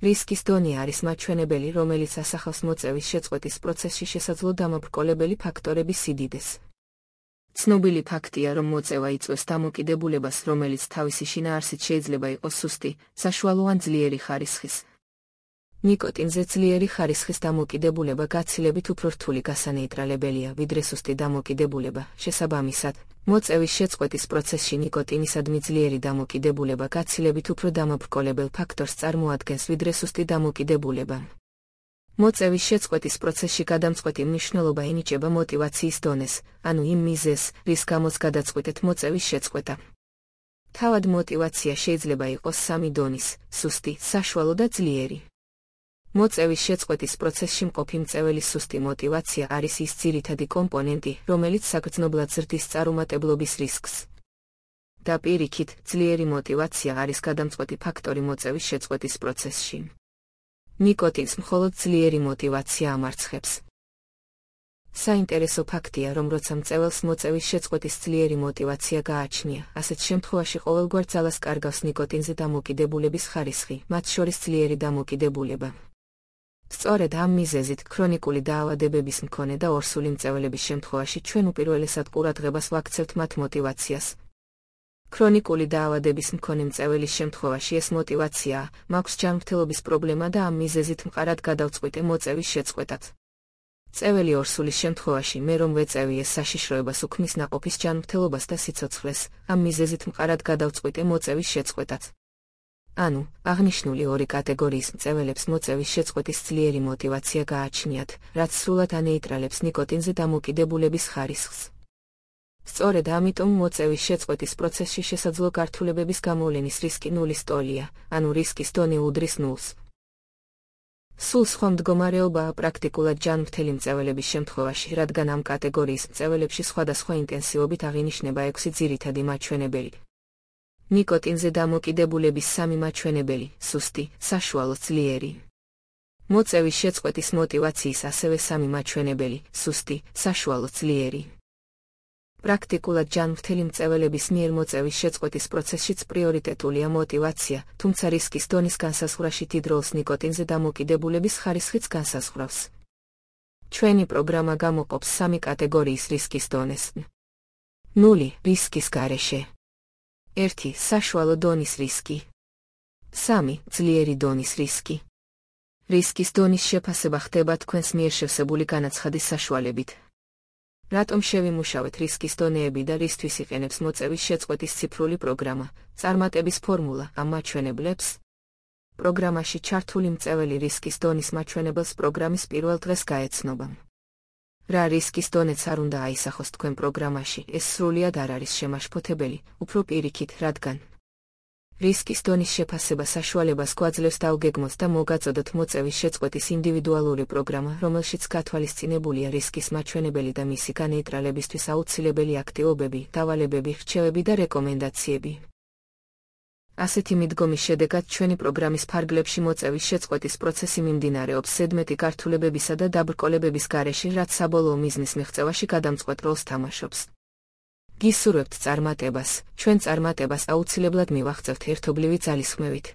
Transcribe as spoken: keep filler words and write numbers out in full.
რისკის დონე არის მაჩვენებელი, რომელიც ასახავს მოწევის შეწყვეტის პროცესში შესაძლო დამაბრკოლებელი ფაქტორების სიდიდეს. ცნობილი ფაქტია, რომ მოწევა იწვევს დამოკიდებულებას, რომელიც თავისი შინაარსით შეიძლება იყოს სუსტი, საშუალო ან ძლიერი ხარისხის. ნიკოტინზე ძლიერი ხარისხის დამოკიდებულება გაცილებით უფრო რთული გასანეიტრალებელია, ვიდრე სუსტი დამოკიდებულება. შესაბამისად, მოწევის შეწყვეტის პროცესში ნიკოტინისადმი ძლიერი დამოკიდებულება გაცილებით უფრო დამაბრკოლებელ ფაქტორს წარმოადგენს, ვიდრე სუსტი დამოკიდებულება. მოწევის შეწყვეტის პროცესში გადამწყვეტი მნიშვნელობა ენიჭება მოტივაციის დონეს, ანუ იმ მიზეზს, რის გამოც გადაწყვეტეთ მოწევის შეწყვეტა. თავად მოტივაცია შეიძლება იყოს სამი დონის: სუსტი, საშუალო და ძლიერი. მოწევის შეწყვეტის პროცესში მყოფი მწეველის სუსტი მოტივაცია არის ის ძირითადი კომპონენტი, რომელიც საგრძნობლად ზრდის წარუმატებლობის რისკს. და პირიქით, ძლიერი მოტივაცია არის გადამწყვეტი ფაქტორი მოწევის შეწყვეტის პროცესში. ნიკოტინს მხოლოდ ძლიერი მოტივაცია ამარცხებს. საინტერესო ფაქტია, რომ როცა მწეველს მოწევის შეწყვეტის ძლიერი მოტივაცია გააჩნია, ასეთ შემთხვევაში ყოველგვარ ძალას კარგავს ნიკოტინზე დამოკიდებულების ხარისხი, მათ შორის ძლიერი დამოკიდებულება. სწორედ ამ მიზეზით ქრონიკული დაავადებების მქონე და ორსული მწეველების შემთხვევაში ჩვენ უპირველესად ყურადღებას ვაქცევთ მათ მოტივაციას. ქრონიკული დაავადების მქონე მწეველის შემთხვევაში ეს მოტივაციაა, მაქვს ჯანმრთელობის პრობლემა და ამ მიზეზით მყარად გადავწყვიტე მოწევის შეწყვეტად. მწეველი ორსულის შემთხვევაში მე რომ ვეწევი ეს საშიშროებას უქმნის ნაყოფის ჯანმრთელობას და სიცოცხლეს, ამ მიზეზით მყარად გადავწყვიტე მოწევის შეწყვეტად. ანუ, აღნიშნული ორი კატეგორიის მწეველებს მოწევის შეწყვეტის ძლიერი მოტივაცია გააჩნიათ, რაც სრულად ანეიტრალებს ნიკოტინზე დამოკიდებულების ხარისხს. სწორედ ამიტომ მოწევის შეწყვეტის პროცესში შესაძლო გართულებების გამოვლენის რისკი ნულის ტოლია, ანუ რისკის დონე უდრის ნულს. სულ სხვა მდგომარეობაა პრაქტიკულად ჯანმრთელი მწეველების შემთხვევაში, რადგან ამ კატეგორიის მწეველებში სხვადასხვა ინტენსივობით აღინიშნება ექვსი ძირითადი მაჩვენებელი. ნიკოტინზე დამოკიდებულების სამი მაჩვენებელი: სუსტი, საშუალო, ძლიერი. მოწევის შეწყვეტის მოტივაციის ასევე სამი მაჩვენებელი: სუსტი, საშუალო, ძლიერი. პრაქტიკულად ჯანმრთელი მწეველების მიერ მოწევის შეწყვეტის პროცესშიც პრიორიტეტულია მოტივაცია, თუმცა რისკის დონის განსაზღვრაში დიდ როლს ნიკოტინზე დამოკიდებულების ხარისხიც განსაზღვრავს. ჩვენი პროგრამა გამოყოფს სამი კატეგორიის რისკის დონეს. ნული რისკის გარეშე. ერთი საშუალო დონის რისკი. სამი ძლიერი დონის რისკი. რისკის დონის შეფასება ხდება თქვენს მიერ შევსებული განაცხადის საშუალებით. რატომ შევიმუშავეთ რისკის დონეები და რისთვის იყენებს მოწევის შეწყვეტის ციფრული პროგრამა, წარმატების ფორმულა ამ მაჩვენებლებს? პროგრამაში ჩართული მწეველი რისკის დონის მაჩვენებელს პროგრამის პირველ დღეს გაეცნობა. რა რისკის დონეც არ უნდა აისახოს თქვენ პროგრამაში, ეს სრულად არ არის შემაშფოთებელი, უფრო პირიქით, რადგან რისკის დონის შეფასება საშუალებას გვაძლევს დავგეგმოთ და მოგაწოდოთ მოწევის შეწყვეტის ინდივიდუალური პროგრამა, რომელშიც გათვალისწინებულია რისკის მაჩვენებელი და მისი განეიტრალებისთვის აუცილებელი აქტივობები, დავალებები, რჩევები და რეკომენდაციები. ასეთი მიდგომის შედეგად ჩვენი პროგრამის ფარგლებში მოწევის შეწყვეტის პროცესი მიმდინარეობს ზედმეტი გართულებებისა და დაბრკოლებების გარეშე, რაც საბოლოო მიზნის მიღწევაში გადამწყვეტ როლს თამაშობს. გისურვებთ წარმატებას, ჩვენ წარმატებას აუცილებლად მივაღწევთ ერთობლივი ძალისხმევით.